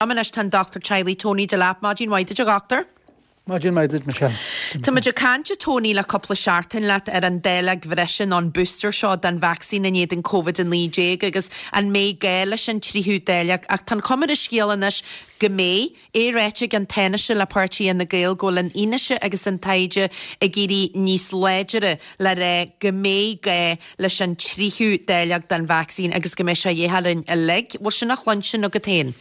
Liom anois tá an Dochtúir Teaghlaigh Tony Delap. Maidin mhaith duit a dhochtúir. Maidin mhaith duit Michelle. Tá muid ag caint a Tony le cúpla seachtain leat ar an dáileog bhreise nó an booster seo den vacsaín in éadan Covid-19 agus an mbeidh gá leis an tríú dáileog ach tá an chuma ar an scéal anois go mbeidh. É ráite ag an Tánaiste le páirtí Fhine Gael go bhfuil an fhianaise agus an taighde ag éirí níos láidire le rá go mbeidh gá leis an tríú dáileog den vacsaín agus go mbeidh sé a dhíth orainn uilig. Bhfuil sin á chluinstin agat féin?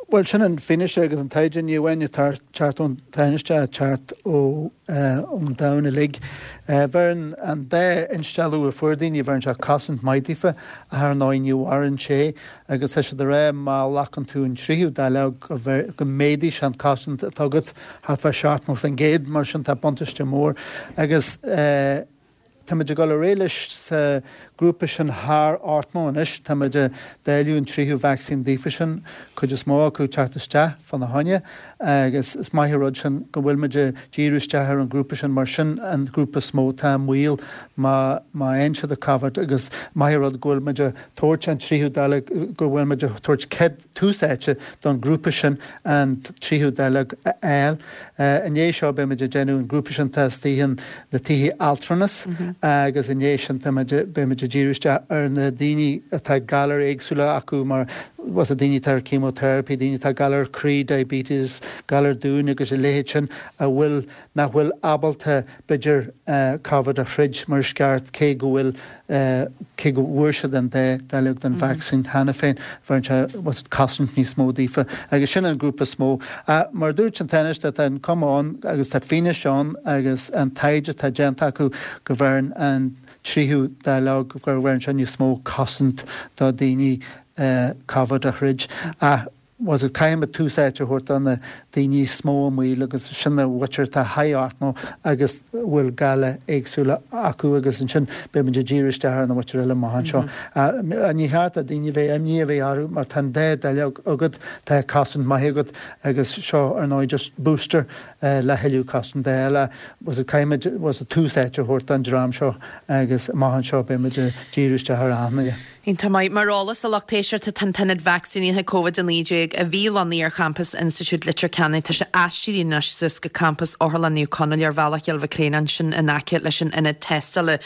Bhuel, sin an fianaise agus an taighde, ní amháin ag teacht ón Tánaiste, ag teacht ón domhan uilig. Bheireann an dá instealladh a fuair daoine, bheireann sé cosaint maith daofa, ach ar ndóigh ní mhaireann sé agus tá siad ag rá má ghlacann tú an tríú dáileog go méadaíonn sé an cosaint atá agat thart fá 70%, mar sin tá buntáiste mór agus. Táimid ag dul ar aghaidh leis sa grúpa sin thar 80 anois. Táimid ag dáileadh an tríú vacsaín daofa sin, cuid is mó acu ag teacht isteach fána choinne agus is maith an rud sin go bhfuilimid ag díriú isteach ar an ghrúpa sin mar sin an grúpa is mó atá i mbaol má má fhaigheann siad an Covid agus maith an rud go bhfuilimid ag tabhairt an tríú dáileog, go bhfuilimid ag tabhairt cead tús áite don ghrúpa sin an tríú dáileog a fháil. I ndiaidh seo beimid ag déanamh an grúpa sin atá istigh in na tithe altranas agus i ndiaidh sin táimid beimid ag díriú isteach ar na daoine atá galair éagsúla acu mar was daoine atá ar chemotherapy, daoine atá galar croí, diabetes, galar dúin agus a leithéid sin a bhfuil nach bhfuil ábalta b'fhéidir Covid a throid mar is ceart cé go bhfuil cé go bhfuair siad an dá dáileog den vacsaín cheana féin, bheireann sé was cosaint níos mó daofa agus sin an grúpa is mó. Ach mar a dúirt an Tánaiste, tá an cuma ann agus tá fianaise ann agus an taighde atá déanta acu go bheireann an tríú dáileog, go bheireann sé níos mó cosaint do daoine Covid a throid. Ach was it caithfimid tús áite a thabhairt do na daoine is mó i mbaol agus sin an mhuintir atá thar 80 agus a bhfuil galair éagsúla acu agus ansin beimid ag díriú isteach ar na mhuintir eile amach anseo. Ní cheart do daoine bheith imní a bheith orthu mar tá an dá dáileog agat, tá cosaint maith agat agus seo ar ndóigh just booster le thuilleadh cosaint a fháil. Was it caithfimid was it tús áite a thabhairt don dream seo agus amach anseo beimid ag díriú isteach ar aon Iontach maith. Mar eolas do lucht éisteachta, tá an t-ionad vacsaínithe Covid-19 a bhí lonnaithe ar champas Institiúid Leitir Ceanainn, tá sé aistrithe anois suas go campas Otharlann Naomh Conaill ar Bhealach Chill Mhic Réanáin, sin in aice leis an ionad tástála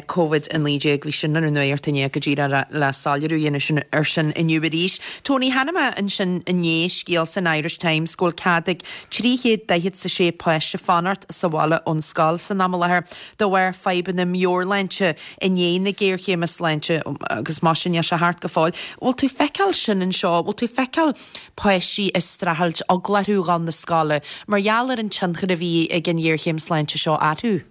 Covid-19. Bhí sin ar an nuacht inné go díreach le soiléiriú a dhéanamh sin ar sin inniu arís. Tony, chonaic mé ansin inné scéal san Irish Times go bhfuil cead ag 346 páiste fanacht sa bhaile ón scoil san am i láthair de bharr fadhbanna meabhairshláinte. i ndiaidh na géarchéime sláinte agus mar sin níl sé thart go fóill. Bhfuil tú ag feiceáil sin anseo? Bhfuil tú ag feiceáil páistí ag streachailt, eagla orthu dhul 'na scoile mar gheall ar an tionchar a bhí ag an ghéarchéim sláinte seo orthu?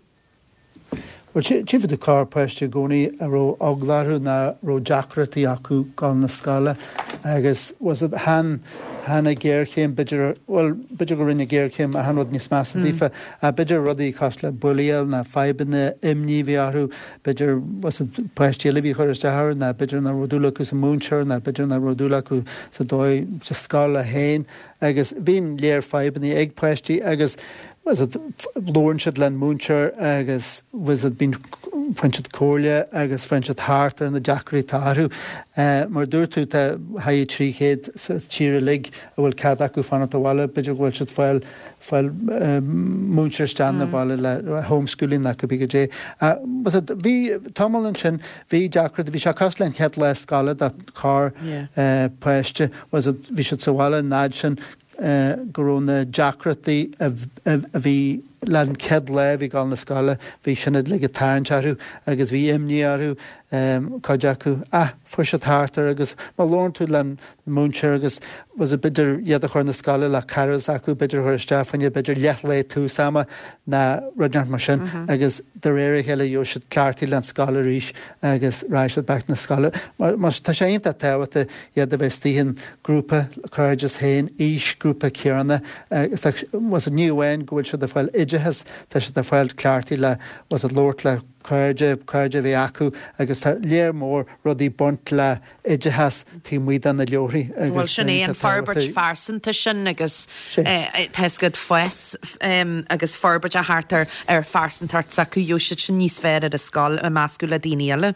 Bhuel, tchífidh tú corrpháiste i gcónaí a raibh eagla orthu nó a raibh deacrachtaí acu dul 'na scoile agus was it chan, chan an ghéarchéim b'fhéidir, bhuel, b'fhéidir go rinne an ghéarchéim achan rud níos measa daofa. Ach b'fhéidir rudaí cosúil le bullaíáil ná fadhbanna, imní a bhí orthu, b'fhéidir was it páistí eile a bhí ag cur isteach orthu ná b'fhéidir nach raibh dúil acu sa múinteoir ná b'fhéidir nach raibh dúil acu sa dóigh sa scoil é féin agus bíonn léar fadhbanna ag páistí agus was it labhrann siad le an múinteoir agus was it bíonn faigheann siad comhairle agus faigheann siad thart ar na deacrachtaí atá orthu. Mar a dúirt tú tá thart 300 sa tír uilig a bhfuil cead acu fanacht abhaile, b'fhéidir go bhfuil siad fáil fáil múinteoir isteach 'na baile le homeschooling nó cibé goidé. Was it, bhí tamall ansin, bhí deacracht, bhí sé cosúil le an chéad lá scoile do chorr páiste, was it, bhí siad sa bhaile an fhad sin go raibh na deacrachtaí a bhí le an chéad lá a bhí ag dul 'na scoile, bhí sin uilig ag tarraingt orthu agus bhí imní orthu cuid acu. Ach fuair siad thart air agus má labhrann tú le múinteoir agus was it b'fhéidir iad a chur na scoile le cara s'acu, b'fhéidir a chur isteach fá choinne b'fhéidir leath lae tús ama ná rud inteacht mar sin agus de réir a chéile gheobhaidh siad cleachtaithe le an scoil arís agus raghaidh siad back na scoile. Mar mar tá sé iontach tábhachtach iad a bheith istigh in grúpa cairdeas féin, aois grúpa céanna agus tá was it ní amháin go bhfuil siad ag fáil oideachas, tá siad ag fáil cleachtaithe le was it labhairt le cairde, cairde a bheith acu agus tá léar mór rudaí baint le oideachas taobh amuigh de na leabharthaí agus Bhuel sin é an forbairt phearsanta sin agus tá 'fhios agat fás agus forbairt a theacht ar ar phearsantacht s'acu, gheobhaidh siad sin níos fearr ar an scoil ag meascadh le daoine eile.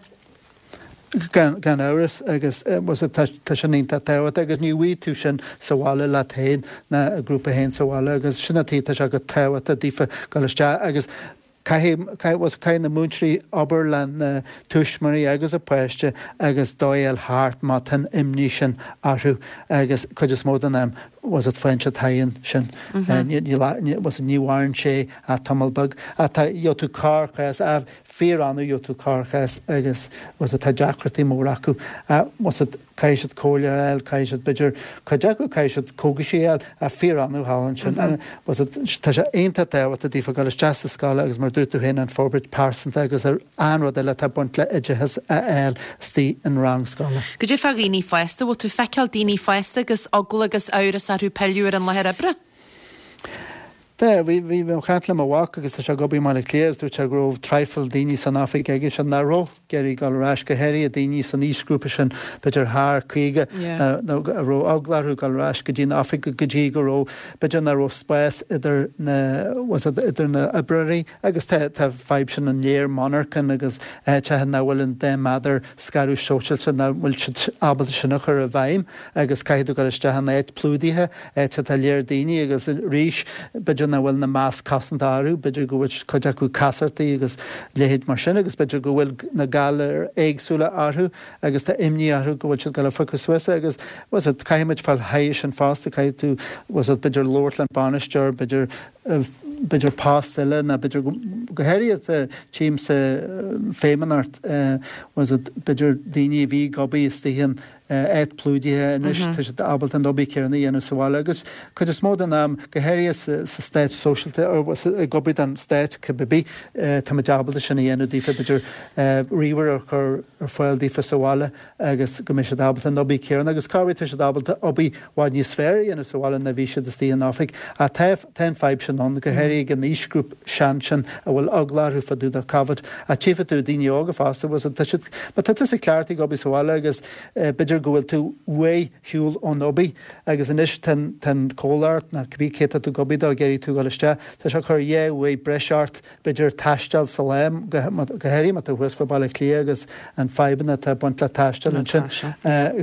Gan amhras, agus tá sin iontach tábhachtach agus ní bhfaighidh tú sin sa bhaile leat féin ná i grúpa féin sa bhaile agus sin an tuige tá sé go tábhachtach daofa dul isteach agus caithfidh, caithfidh na múinteoirí obair le na tuismitheoirí agus an páiste agus dóigh a fháil thart má tá an imní sin orthu agus cuid is mó den am bhfuil faigheann siad thairis sin. Ní mhaireann sé ach tamall beag. Ach tá, gheobhaidh tú corrchás, fíor-annamh gheobhaidh tú corrchás agus bhfuil fhios agat tá deacrachtaí móra acu. Bhfuil fhios agat caithfidh siad comhairle a fháil, caithfidh siad b'fhéidir, cuid acu caithfidh siad cógaisí a fháil ach fíor-annamh thall ansin. Bhfuil fhios agat tá sé iontach tábhachtach daofa dul isteach sa scoil agus mar a dúirt tú féin an forbairt pearsanta agus an rud eile atá ag baint le oideachas a fháil istigh in rang scoile. Goidé fá dhaoine fásta, bhfuil tú ag feiceáil daoine fásta agus eagla agus amhras orthu pilleadh ar an láthair oibre? Tá, bhí, bhí mé ag caint le mo mhac agus tá sé ag obair i mBaile Átha Cliath agus dúirt sé go raibh traidhfil daoine san oifig aigesean nach raibh ag iarraidh dul ar ais, go háirithe daoine san aoisghrúpa sin, b'fhéidir thar 50, nó a raibh eagla orthu dul ar ais go dtí an oifig go dtí go raibh, b'fhéidir nach raibh spás idir na, bhfuil fhios agat, idir na oibreoirí agus tá, tá fadhb sin an léar monarchan agus áiteacha nach bhfuil an 2 méadar scaradh sóisialta, nach bhfuil siad ábalta sin a chur i bhfeidhm agus caithfidh tú dul isteach in áit plódaithe. áit atá léar daoine agus arís b'fhéidir nach bhfuil na masc cosanta orthu, b'fhéidir go bhfuil cuid acu casartaí agus leithéid mar sin agus b'fhéidir go bhfuil na galair éagsúla orthu agus tá imní orthu go bhfuil siad ag dul a phiocadh suas é agus bhfuil fhios agat caithfidh muid fáil thairis sin fosta, caithfidh tú bhfuil fhios agat b'fhéidir labhairt le bainisteoir, b'fhéidir b'fhéidir post eile nó b'fhéidir go háirithe sa tím sa feidhmeannacht bhfuil fhios agat b'fhéidir daoine a bhí ag obair istigh in áit plódaithe anois, tá siad ábalta an obair chéanna a dhéanamh sa bhaile agus cuid is mó den am, go háirithe sa stát sóisialta, ag obair don stát cibé, táimid ábalta sin a dhéanamh daofa, b'fhéidir ríomhaire a chur ar fáil daofa sa bhaile agus go mbeidh siad ábalta an obair chéanna agus corruair tá siad ábalta obair i bhfad níos fearr a dhéanamh sa bhaile ná bhí siad istigh in oifig. Ach tá tá an fadhb sin ann, go háirithe ag an aoisghrúpa sean sin a bhfuil eagla orthu fá dtaobh de Covid. Ach tchífidh tú daoine óga fosta, bhfuil tá siad, má tá tusa cleachtaithe ag obair sa bhaile agus b'fhéidir go bhfuil tú uaidh shiúl ón obair agus anois tá an, tá an comhlacht nó cibé cé tá tú ag obair dó ag iarraidh tú a dhul isteach, tá sé ag cur dhá uair breis ort b'fhéidir taisteal sa lá, go háirithe má tá thuas fá Baile Átha Cliath agus an fadhbanna atá ag baint le taisteal ansin.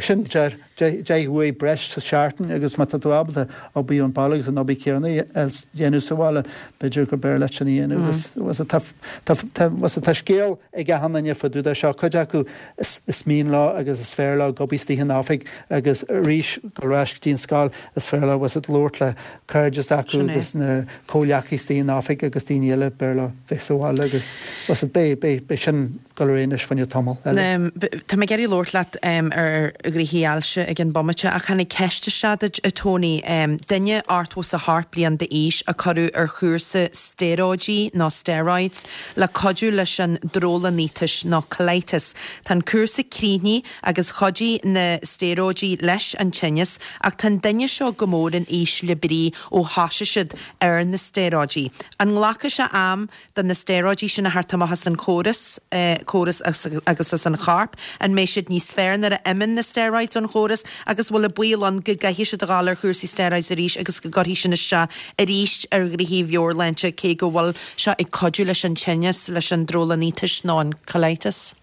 Sin deir. 10 uair breis sa seachtain agus má tá tú ábalta obair ón baile agus an obair chéanna a dhéanamh sa bhaile, b'fhéidir gur b'fhearr leat sin a dhéanamh agus tá tá scéal ag achan duine fá dtaobh de seo, cuid acu is mian leo agus is fearr leo ag obair istigh in oifig agus arís dul ar ais go dtí an scoil is fearr leo bhfuil fhios agat labhairt le cairde s'acu agus na comhghleacaithe istigh in oifig agus daoine eile b'fhearr leo bheith sa bhaile agus bhfuil fhios agat beidh beidh sin dul ar aghaidh anois fá choinne tamall eile. Tá mé ag iarraidh labhairt leat ar ghnoithí ailse ag an bomaite ach tháinig ceist isteach duit, a Tony. Duine 88 bliain d'aois a cuireadh ar chúrsa stéaróidí nó steroids le cuidiú leis an drólainnítis nó colitis. Tá an cúrsa críochnaithe agus chuidigh na stéaróidí leis an tinneas ach tá an duine seo go mór in ísle brí ó thosaigh siad ar na stéaróidí. An nglacfaidh sé am do na stéaróidí sin a theacht amach as an chóras, córas agus as an chorp, an mbeidh siad níos fearr nuair a imíonn na steroids ón chóras agus bhfuil an baol ann go gcaithfidh siad a dhul ar chúrsaí steroids arís agus go gcuirfidh sin isteach arís ar ghnoithí mheabhairshláinte cé go bhfuil sé ag cuidiú leis an tinneas, leis an drólainnítis nó an colitis?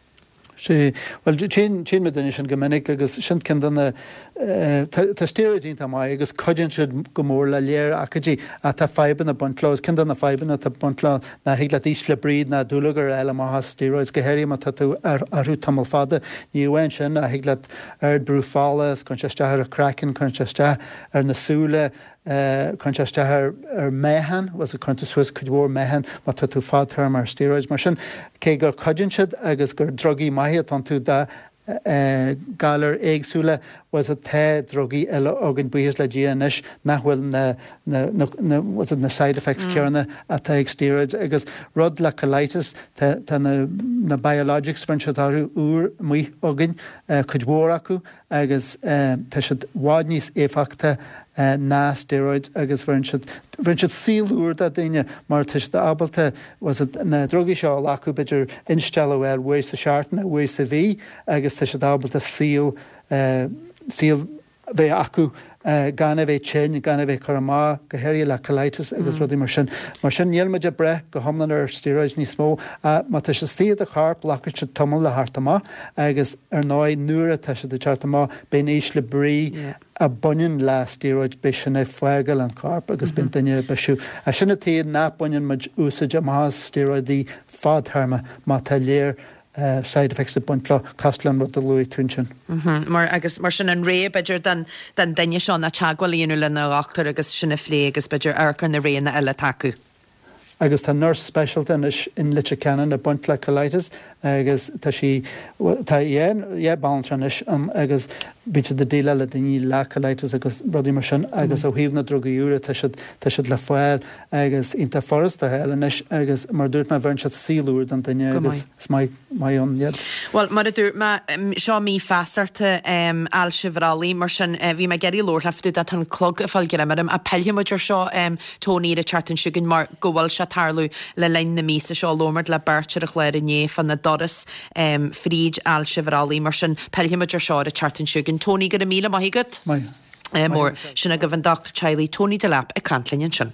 Sea, bhuel, tchíonn muid duine sin go minic agus sin ceann de na, tá steroids iontach maith agus cuidíonn siad go mór le léar ócáidí ach tá fadhbanna ag baint leo agus ceann de na fadhbanna atá ag baint leo ná thig leat ísle brí ná dúlagar a fháil amach as steroids, go háirithe má tá tú orthu tamall fada. Ní amháin sin ach thig leat ard brú fola, cuireann sé isteach ar an craiceann, cuireann sé isteach ar na súile, Cuireann sé isteach ar meáchan, bhfuil fhios agat, cuireann tú suas cuid mhór meáchan má tá tú fadtéarma ar steroids. Mar sin, cé gur cuidíonn siad agus gur drugaí maithe atá iontu do ghalair éagsúla, bhfuil fhios agat, tá drugaí eile againn, buíochas le Dia anois, nach bhfuil na, na, na, na, bhfuil fhios agat, na side effects céanna atá ag steroids. Agus rud le colitis, tá, tá na, na biologics, bheireann siad orthu, úr amuigh againn, cuid mhór acu, agus tá siad i bhfad níos éifeachta ná steroids agus bheireann siad, bheireann siad saol úr do daoine mar tá siad ábalta, bhfuil fhios agat, na drugaí seo a ghlacadh b'fhéidir instealladh a fháil uair sa seachtain nó uair sa mhí agus tá siad ábalta saol, saol a bheith acu. Gan a bheith tinn, gan a bheith ag cur amach, go háirithe le colitis agus rudaí mar sin. Mar sin, níl muid ag brath go hiomlán ar steroids níos mó. Má tá siad istigh i do chorp, glacfaidh siad tamall le theacht amach agus ar ndóigh nuair atá siad ag teacht amach, beidh an ísle brí a bhaineann le steroids, beidh sin ag fágáil an choirp agus beidh an duine ag bisiú. Sin an tuige nach mbaineann muid úsáid amach as steroids fadtéarma má tá léir side effects ag baint leo, cosúil le an rud a luaigh tú ansin. Mar, agus mar sin an rogha b'fhéidir don, don duine seo ná teagmháil a dhéanamh lena dhochtúir agus sin a phlé agus b'fhéidir amharc ar na roghanna eile atá acu. Agus tá nurse speisialta anois in Leitir Ceanainn ag baint le colitis agus tá sí, tá yeah, yeah banaltra anois ann agus bíonn siad ag déileáil le daoine le colitis agus rudaí mar sin agus ó thaobh na drugaí úra tá siad, tá siad le fáil. Agus iontach furasta a fháil anois agus mar a dúirt mé bheireann siad saol úr don duine agus is maith maith ann iad. Bhuel, mar a dúirt mé, seo mí feasachta ailse bhrollaigh, mar sin bhí mé ag iarraidh labhairt leat fá dtaobh de, tá an clog ag fáil greim orm, ach pillfidh muid ar seo, Tony, ar an tseachtain seo chugainn mar go bhfuil sé ag tarlú le linn na míosa seo, labhair muid le beirt ar an chlár inné fá na doras fríd ailse bhrollaigh, mar sin pillfidh muid ar seo ar an tseachtain seo chugainn. Tony, go raibh míle maith agat. Maith. Mór. Sin agaibh an dochtúir teaghlaigh Tony Delap ag caint linn ansin.